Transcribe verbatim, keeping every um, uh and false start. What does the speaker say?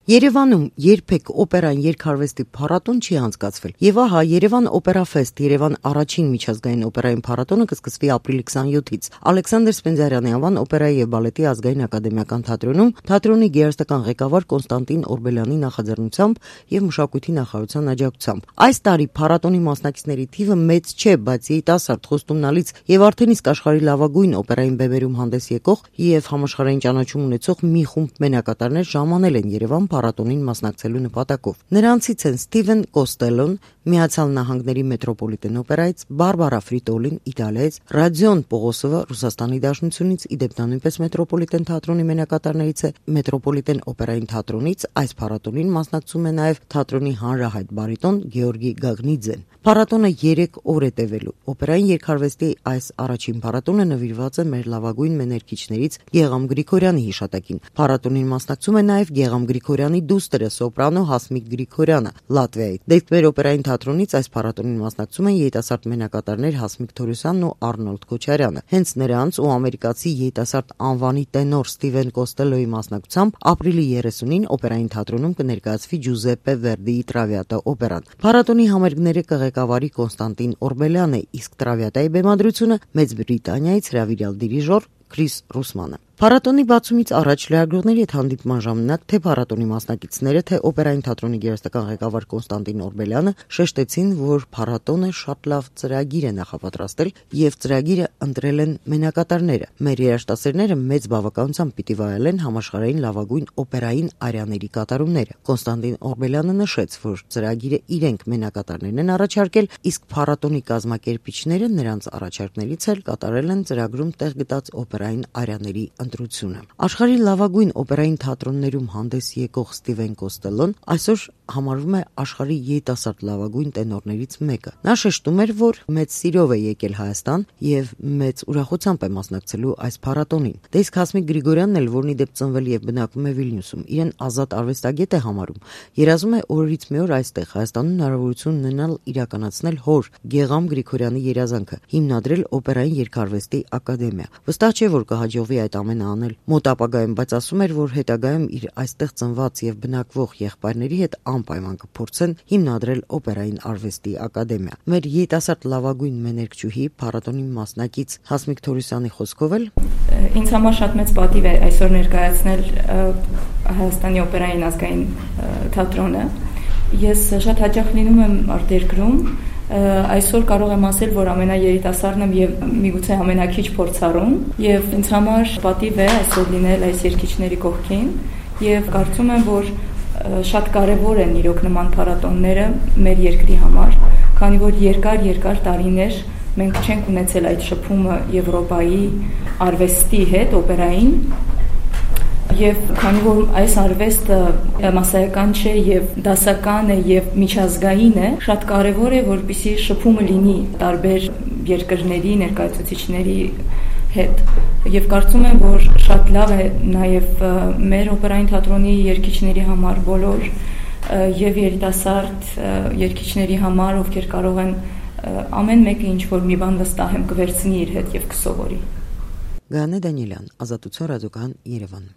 Երևանում երբեք օպերան երգարվեստի փառատոն չի անցկացվել։ Եվ ահա Երևան օպերաֆեստ, Երևան առաջին միջազգային օպերային փառատոնը կսկսվի ապրիլի քսաներկուից։ Ալեքսանդր Սպենդիարյանի անվան օպերայի եւ բալետի ազգային ակադեմիական թատրոնում թատրոնի գեղարվեստական ղեկավար Կոնստանտին Օրբելյանի նախաձեռնությամբ եւ մշակույթի նախարարության աջակցությամբ։ Այս տարի փառատոնի մասնակիցների թիվը մեծ չէ, բայց երիտասարդ խոստումնալից եւ արդեն իսկ աշխարհի լավագույն օպերային բեմերում հանդես եկող եւ համաշխարհային ճանաչում ունեցող մի խումբ մենակատարներ ժամանել են Երևան փառատոնին մասնակցելու նպատակով։ Նրանցից են Ստիվեն Կոստելոն Միացյալ Նահանգների մետրոպոլիտեն օպերայից, Բարբարա Ֆրիտոլին Իտալիայից, Ռադիոն Պողոսովը Ռուսաստանի Դաշնությունից, իդեպ նա նույնպես մետրոպոլիտեն թատրոնի մենակատարներից է, մետրոպոլիտեն օպերային թատրոնից այս փառատոնին մասնակցում է նաև թատրոնի հանրահայտ բարիտոն Գեորգի Գագնիձեն։ Փառատոնը երեք օր է տևելու։ Օպերային երգարվեստի այս առաջին փառատոնը նվիրված է մեր լավագույն մեներկիչներից Գեգամ Գրիգորյանի հիշատակին։ Փառատոնին մասնակցում է նաև Գեգամ Գրիգորյանի դուստրը սոպրանո Հասմիկ Գրիգորյանը Լատվիայից։ Դեպքեր օպերային թատրոնից այս փառատոնին մասնակցում են երիտասարդ մենակատարներ Հասմիկ Թորոսյանն ու Արնոլդ Քոչարյանը։ Հենց նրանց ու ամերիկացի երիտասարդ անվանի տենոր Ստիվեն Կոստելոյի մասնակցությամբ ապրիլի երեսունին օպերային թատրոնում կներկայացվի Ջուզեպպե Վերդիի Տրավիատա օպերան։ Փառատոնի համերգները կղեկավարի Կոնստանտին Օրբելյանը, իսկ Տրավիատայի բեմադրությունը Մեծ Բրիտանիայից հրավիրյալ դիրիժոր Քրիս Ռուսմանը։ Փառատոնի բացումից առաջ լրագրողների հետ հանդիպման ժամանակ թե փառատոնի մասնակիցները, թե օպերային թատրոնի գեղարվեստական ղեկավար Կոնստանտին Օրբելյանը շեշտեցին, որ փառատոնը շատ լավ ծրագիր է նախապատրաստել եւ ծրագիրը ընտրել են մենակատարները։ Մեր երաժշտասերները մեծ բավականությամբ պիտի վայելեն համաշխարհային լավագույն օպերային արյաների կատարումները։ Կոնստանտին Օրբելյանը նշեց, որ ծրագիրը իրենք մենակատարներն են առաջարկել, իսկ փառատոնի կազմակերպիչները նրանց առաջարկներից էլ կատարել են ծրագրում տեղ գտած օպերային արյաների ընտրությունը։ Աշխարհի լավագույն օպերային թատրոններում հանդես եկող Ստիվեն Կոստելոն այսօր համարվում է աշխարհի երիտասարդ լավագույն տենորներից մեկը։ Նա շեշտում էր, որ մեծ սիրով է եկել Հայաստան եւ մեծ ուրախությամբ է մասնակցելու այս փառատոնին։ Դե իսկ Հասմիկ Գրիգորյանն էլ, որն իդեպ ծնվել եւ բնակվում է Վիլնյուսում, իրեն ազատ արվեստագետ է համարում։ Երազում է օրից մի օր այստեղ Հայաստանում հնարավորություն ունենալ իրականացնել հոր Գեգամ Գրիգորյանի երազանքը՝ հիմնադրել օպերային երգարվեստի ակադեմիա։ Վստահ չէ, որ կհաջողվի այդ ամենը անել մոտ ապագայում, բայց ասում էր, որ հետագայում իր այստեղ ծնված եւ բնակվող եղբայրների հետ անպայման կփորձեն հիմնադրել օպերային արվեստի ակադեմիա։ Մեր երիտասարդ լավագույն մեներկչուհի փառատոնի մասնակից Հասմիկ Թորոսյանի խոսքով էլ ինձ համար շատ մեծ պատիվ է այսօր ներկայացնել Հայաստանի օպերային ազգային թատրոնը։ Ես շատ հաճախ լինում եմ արտերկրում, այսօր կարող եմ ասել, որ ամենաերիտասարդն եմ եւ միգուցե ամենաքիչ փորձառուն, եւ ինձ համար պատիվ է այսօր լինել այս երգիչների կողքին եւ կարծում եմ, որ շատ կարեւոր են իրոք նման փառատոնները մեր երկրի համար, քանի որ երկար-երկար տարիներ մենք չենք ունեցել այդ շփումը Եվրոպայի արվեստի հետ, օպերային, եւ քանի որ այս արվեստը մասսայական չէ եւ դասական է եւ միջազգային է, շատ կարեւոր է, որպեսզի շփումը լինի տարբեր երկրների ներկայացուցիչների հետ։ Եվ կարծում եմ, որ շատ լավ է նաեւ մեր օպերային թատրոնի երգիչների համար բոլոր եւ երիտասարդ երգիչների համար, ովքեր կարող են ամեն մեկը ինչ որ մի բան վստահ եմ կվերցնի իր հետ եւ կսովորի։ Գանե Դանիելյան, Ազատություն ռադիոկայան, Երևան։